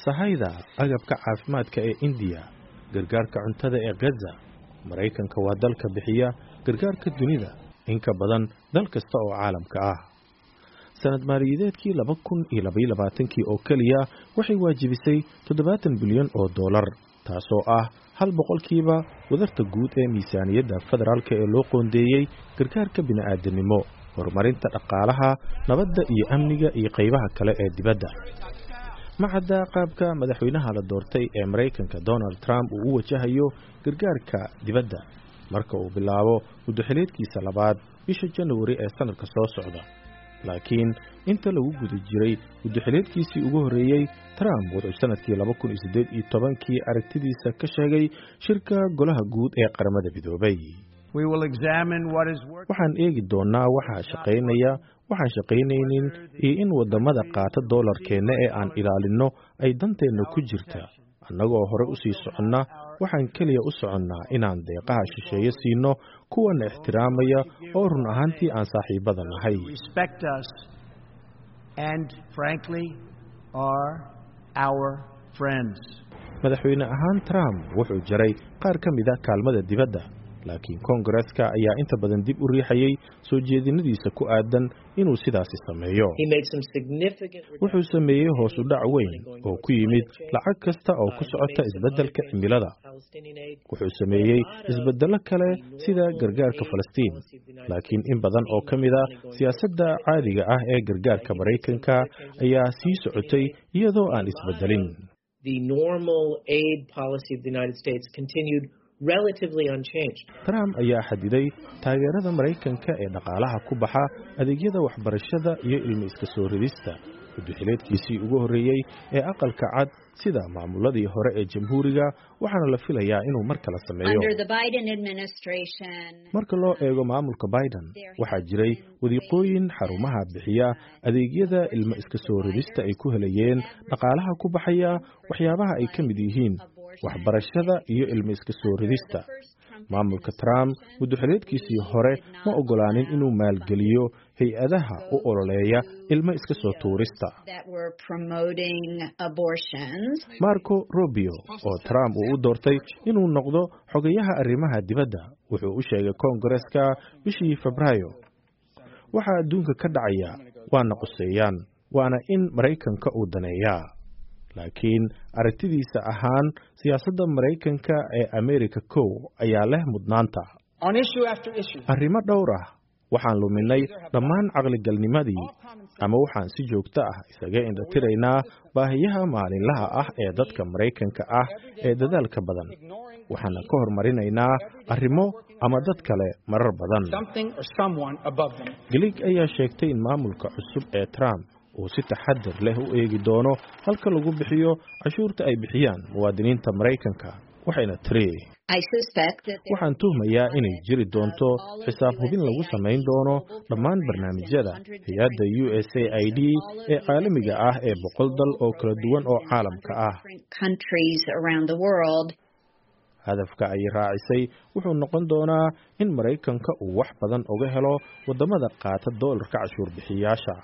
Sahayda agabka caafimaadka ee Indiya, gargaarka cuntada ee Gaza. Maraykanka waa dalka bixiya gargaarka dunida in ka badan dal kasta oo caalamka ah. Sanad maaliyadeedkii 2022-kii oo keliya waxay waajibisay 70 bilyan oo doolar, taasoo ah 1% wadarta guud ee miisaaniyadda federaalka ee loo qoondeeyey gargaarka bini'aadanimo, horumarinta dhaqaalaha, nabadda iyo amniga iyo qaybaha kale ee dibadda. Ma cadda qaabka madaxweynaha la doortay ee Maraykanka Donald Trump uu u wajahayo gargaarka dibadda marka uu bilaabo muddoxileedkiisa labaad bisha Januari ee sanadka soo socda, laakiin inta lagu guda jiray muddoxileedkiisii ugu horreeyey, Trump wuxuu sanadkii 2018-kii aragtidiisa ka sheegay shirka Golaha Guud ee Qaramada Midoobay. "Waxaan eegi doonnaa waxaa shaqaynaya, waxaan shaqaynaynin iyo in waddamada qaata doolarkeenna ee aan ilaalinno ay danteenna ku jirta. Annagoo hore u sii soconna, waxaan keliya u soconnaa inaan deeqaha shisheeye siino kuwana ixtiraamaya oo run ahaantii aan saaxiibada nahay." Respect us and, frankly, are our friends. Madaxweyne ahaan, Trump wuxuu jaray qaar ka mid ah kaalmada dibadda, laakiin Koongareska ayaa inta badan dib u riixayay soo jeedinadiisa ku aadan inuu sidaasi sameeyo. Wuxuu sameeyey hoos u dhac weyn oo ku yimid lacag kasta oo ku socota isbeddelka cimilada. Wuxuu sameeyey isbeddello kale sida gargaarka Falastiin, laakiin in badan oo ka mid ah siyaasadda caadiga ah ee gargaarka Maraykanka ayaa sii socotay iyadoo aan isbeddelin. The normal aid policy of the United States continued relatively unchanged. Trump ayaa xadiday taageerada Maraykanka ee dhaqaalaha ku baxa adeegyada waxbarashada iyo ilmo iska soo ridista muddoxileedkiisii ugu horreeyey ee Aqalka Cad, sida maamuladii hore ee Jamhuuriga, waxaana la filayaa inuu mar kale sameeyo. Marka loo eego maamulka Biden, waxaa jiray wadiiqooyin xarumaha bixiya adeegyada ilmo iska soo ridista ay ku helayeen dhaqaalaha ku baxaya waxyaabaha ay ka mid yihiin waxbarashada iyo ilmo iska soo ridista. Maamulka Trump muddoxileedkiisii hore ma ogolaanin inuu maalgeliyo hay-adaha u ololeeya ilmo iska soo tuurista. Marco Rubio, oo Trump uu u doortay inuu noqdo xogayaha arrimaha dibadda, wuxuu u sheegay Koongareska bishii Febraayo: "Waxaa adduunka ka dhacaya waana quseeyaan, waana in Maraykanka uu daneeyaa." Laakiin aragtidiisa ahaan, siyaasadda Maraykanka ee America Kow ayaa leh mudnaanta. "Arrimo dhowr ah waxaan luminay dhammaan caqligalnimadii ama waxaan si joogto ah isaga indhatiraynaa baahiyaha maalinlaha ah ee dadka Maraykanka ah ee dadaalka badan. Waxaana ka hormarinaynaa arrimo ama dad kale marar badan." Glig ayaa sheegtay in maamulka cusub ee Trump uu si taxadar leh u eegi doono halka lagu bixiyo cashuurta ay bixiyaan muwaadiniinta Maraykanka, waxayna tiri: "Waxaan tuhmayaa inay jiri doonto xisaab hubin lagu samayn doono dhammaan barnaamijyada hay-adda USAID ee caalamiga ah ee 100 dal oo kala duwan oo caalamka ah." Hadafka, ay raacisay, wuxuu noqon doonaa in Maraykanka uu wax badan uga helo waddamada qaata doolarka cashuur bixiyaasha.